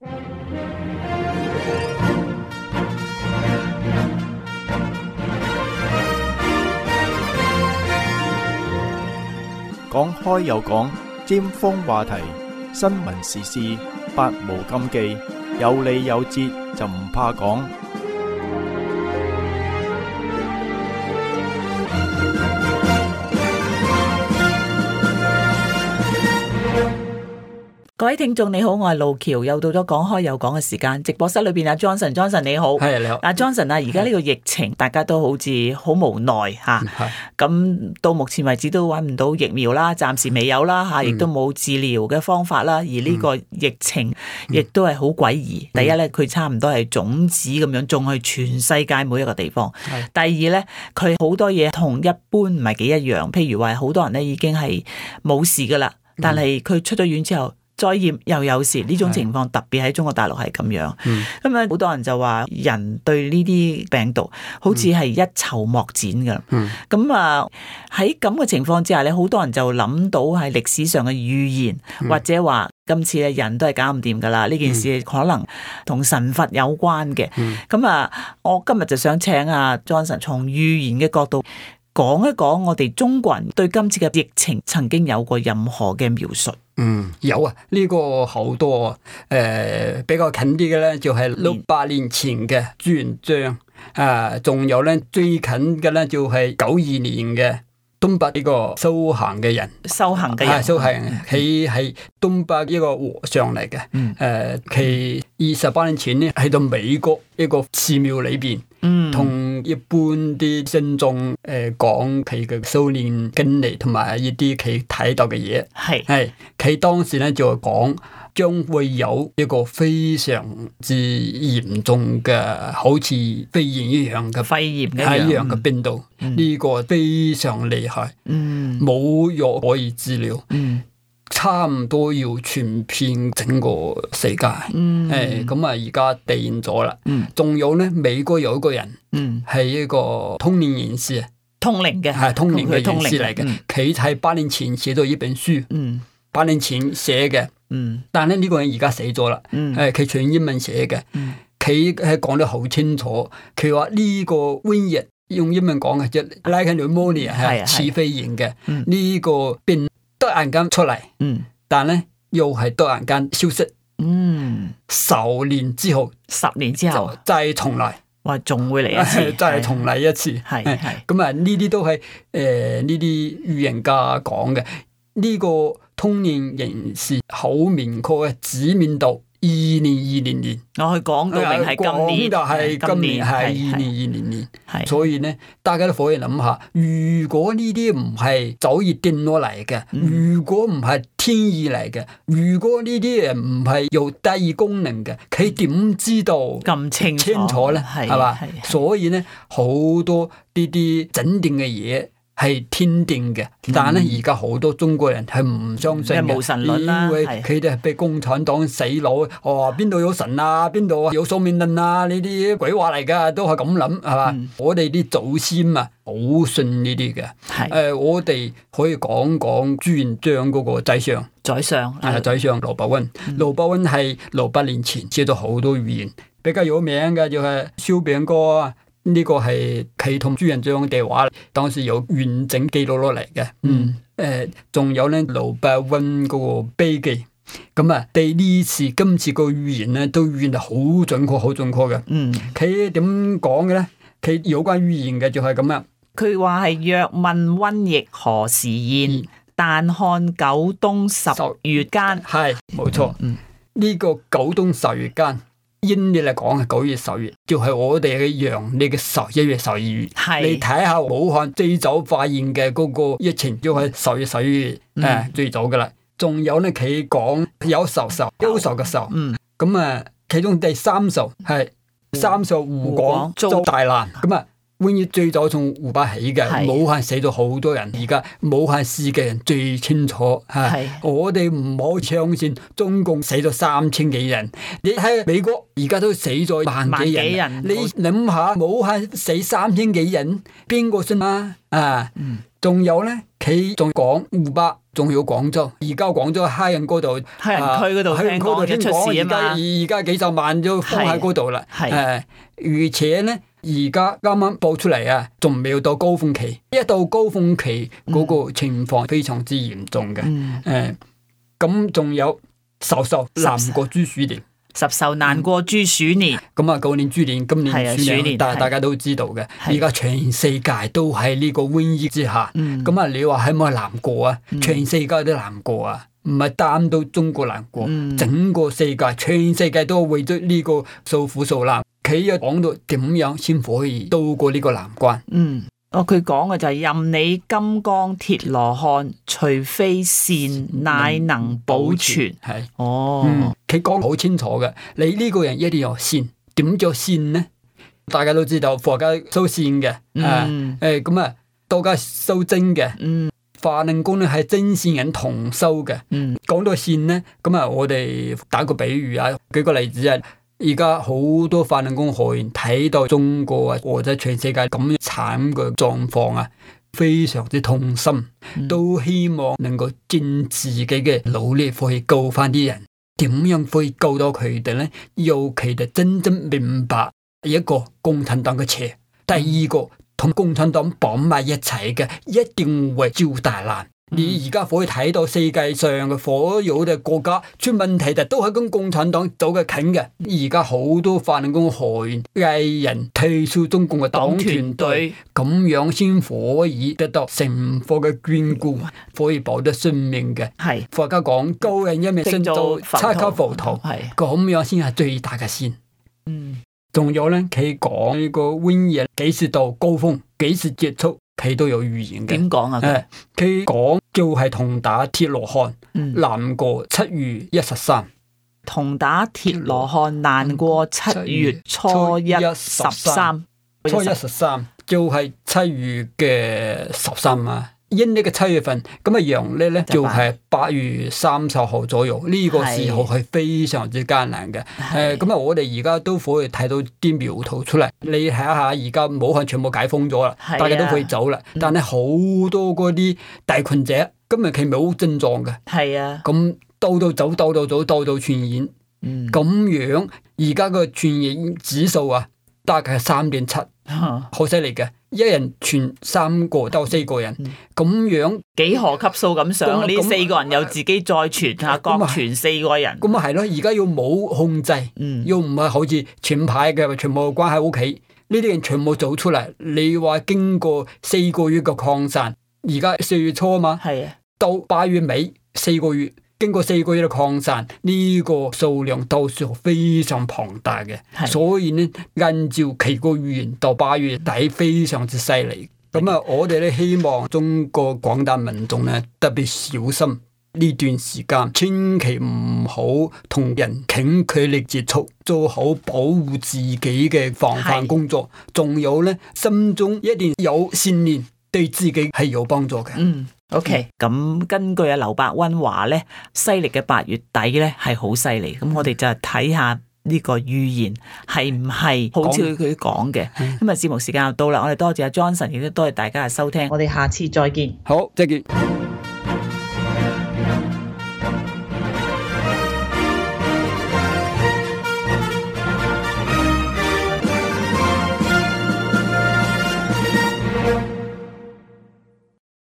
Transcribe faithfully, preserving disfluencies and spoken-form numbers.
講開又講，尖鋒話題，新聞時事，百無禁忌，有理有節就唔怕講。各位聽眾你好，我係路橋，又到咗講開又講嘅時間。直播室裏邊阿 Johnson，Johnson 你好，係你好。阿 Johnson 啊，而家呢個疫情，大家都好似好無奈吓。咁到目前為止都揾唔到疫苗啦，暫時未有啦吓，亦都冇治療嘅方法啦。而呢個疫情亦都係好詭異。第一咧，佢差唔多係種子咁樣種去全世界每一個地方。第二咧，佢好多嘢同一般唔係幾一樣。譬如話，好多人咧已經係冇事噶啦，但係佢出咗院之後，再驗又有時，呢種情況特別喺中國大陸係咁樣。咁啊，好多人就話人對呢啲病毒好似係一籌莫展㗎。咁啊喺咁嘅情況之下咧，好多人就諗到係歷史上嘅預言，嗯、或者話今次嘅人都係搞唔掂㗎啦。呢件事可能同神佛有關嘅。咁啊、嗯，我今日就想請阿 Johnson 從預言嘅角度講一講我哋中國人對今次嘅疫情曾經有過任何嘅描述。嗯，有啊，呢、這個好多誒、呃、比較近啲嘅咧，就係六百年前嘅朱元璋啊，仲有咧最近嘅咧就係九二年嘅東北呢個修行嘅人，修行嘅人，啊、修行佢係東北一個和尚嚟嘅，誒、嗯，佢二十八年前咧喺到美國一個寺廟裏邊。同、嗯、一般啲信眾誒講佢嘅修煉經歷同埋一啲佢睇到嘅嘢，係係佢當時咧就講將會有一個非常之嚴重嘅，好似肺炎一樣嘅肺炎一樣嘅病毒，呢、嗯、個非常厲害，冇藥、嗯、可以治療。嗯，差唔多要傳遍整個世界，嗯，誒，咁啊，而家定咗啦，嗯，仲有咧，美國有一個人，嗯，係一個通靈人士，通靈嘅，係通靈嘅人士嚟嘅，佢喺八年前寫咗一本書，嗯，八年前寫嘅，嗯，但係咧呢個人而家死咗啦，嗯，誒，佢全英文寫嘅，嗯，佢係講得好清楚，佢話呢個瘟疫用英文講嘅即係 like pneumonia 係似肺炎嘅，呢個病。突然間出嚟，嗯，但咧又係突然間消失，嗯，十年之後，十年之後再重嚟，話仲會嚟一次，再重嚟一次，係係，咁啊呢啲都係誒呢啲預言家講嘅，呢個通靈人士好明確嘅指明到二零二零年，我去講到明係今年，就係今年係二零二零年，所以咧大家都可以諗下，如果呢啲唔係早已定落嚟嘅，如果唔係天意嚟嘅，如果呢啲誒唔係有特異功能嘅，佢點知道咁清清楚咧？係嘛？所以咧好多呢啲整定嘅嘢。係天定嘅，但係咧而家好多中國人係唔相信嘅，無神論啦，因為佢哋係被共產黨洗腦，哦邊度有神啊，邊度有宿命論啊，呢啲鬼話嚟噶，都係咁諗係嘛？嗯、我哋啲祖先啊，好信呢啲嘅。誒、呃，我哋可以講講朱元璋嗰個宰相，宰相係宰相羅伯溫，羅伯溫係六百年前寫咗好多預言，比較有名嘅就係燒餅歌啊。呢個係佢同朱元璋嘅話，當時有完整記錄落嚟嘅。嗯，誒、呃，仲有咧羅伯溫嗰個碑記，咁啊，對呢次今次個預言咧，都預言得好準確，好準確嘅。嗯，佢點講嘅咧？佢有關預言嘅就係咁樣。佢話係若問瘟疫何時現，嗯、但看九冬十月間。係，冇錯。嗯，呢個九冬十月間。陰曆嚟講係九月十月，就係、是、我哋嘅陽曆嘅十一月十二月。係你睇下武漢最早發現嘅嗰個疫情，就係十月十二月，誒、嗯啊、最早噶啦。仲有咧，佢講有壽壽憂愁嘅壽，嗯，咁啊，其中第三壽係三壽湖廣遭大難，咁啊。瘟疫最早從湖北起嘅，武漢死咗好多人，而家武漢市嘅人最清楚吓。我哋唔好相信中共死咗三千幾人，你睇美國而家都死咗萬幾人，人你諗下武漢死三千幾人，邊個信啊？啊，嗯、仲有咧，佢仲講湖北，仲有廣州。而家廣州黑人嗰度，黑人區嗰度聽講一出事啊嘛。而家而家幾十萬都封喺嗰度啦。係，誒，而且咧，而家啱啱報出嚟啊，仲未到高峰期。一到高峰期，嗰、嗯、個情況非常之嚴重嘅。誒、嗯，咁仲、呃、有授受難過豬鼠年。十受難過豬鼠年，咁啊，舊年豬年，今年鼠年，但係大家都知道嘅。而家全世界都喺呢個瘟疫之下，咁啊，你話係咪難過啊？全世界都難過啊，唔係單到中國難過，整個世界，全世界都為咗呢個受苦受難。佢又講到點樣先可以渡過呢個難關？嗯。哦，佢講嘅就係任你金剛鐵羅漢，除非善，乃能保存。係哦，佢講好清楚嘅。你呢個人一定要善，點叫善呢？大家都知道佛家修善嘅，誒誒咁啊，道家修真嘅。嗯，法輪功咧係真善人同修嘅。嗯，講到善呢，咁啊，我哋打個比喻啊，舉個例子啊。而家好多法輪功學員睇到中國啊，或者全世界咁樣慘嘅狀況啊，非常之痛心，嗯、都希望能夠盡自己嘅努力可以救翻啲人。點樣可以救到佢哋呢？要佢哋真正明白一個共產黨嘅邪，第二個同共產黨綁埋一齊嘅，一定會遭大難。你而家可以睇到世界上嘅所有嘅國家出問題，就都係跟共產黨走嘅近嘅。而家好多法輪功學員藝人退出中共嘅黨團隊，咁樣先可以得到成佛嘅眷顧，可以保得性命嘅。係佛家講救人一命勝造七級浮屠，係咁樣先係最大嘅善。嗯，仲有咧，佢講呢個瘟疫幾時到高峰，幾時結束？佢都有預言嘅。點講啊？誒，佢講就係同打鐵羅漢，難過七月一十三。同打鐵羅漢難過七月初一十三。初一十三就係七月嘅十三啊。陰曆嘅七月份，咁啊陽曆咧就係八月三十號左右，呢、這個時候係非常之艱難嘅。誒，咁啊，我哋而家都可以睇到啲苗頭出嚟。你睇下，而家武漢全部解封咗啦，大家都可以走啦。但係好多嗰啲大群者，今日佢冇症狀嘅。係啊，咁到到走，到到走，到到傳染。嗯，咁樣而家個傳染指數啊，大概係三點七，好犀利嘅。一人傳三個到四個人，咁、嗯、樣幾何級數咁上，呢四個人又自己再傳下，各傳四個人。咁啊係咯，而家要冇控制，嗯、又唔係好似前排嘅全部關喺屋企，呢啲人全部走出嚟。你話經過四個月嘅擴散，而家四月初啊嘛，係啊，到八月尾四個月。經過四個月嘅擴散，呢、這個數量都算非常龐大嘅，所以呢，按照佢個預言，到八月底非常之犀利。咁啊，我哋咧希望中國廣大民眾咧特別小心呢段時間，千祈唔好同人近距離接觸，做好保護自己嘅防範工作。仲有咧，心中一定有信念，對自己係有幫助嘅。嗯。OK，咁根據阿劉伯溫話咧，西曆嘅八月底咧係好犀利，咁我哋就睇下呢個預言係唔係好似佢講嘅。今日節目時間又到啦，我哋多謝阿 Johnson，亦都多謝大家嘅收聽，我哋下次再見。好，再見。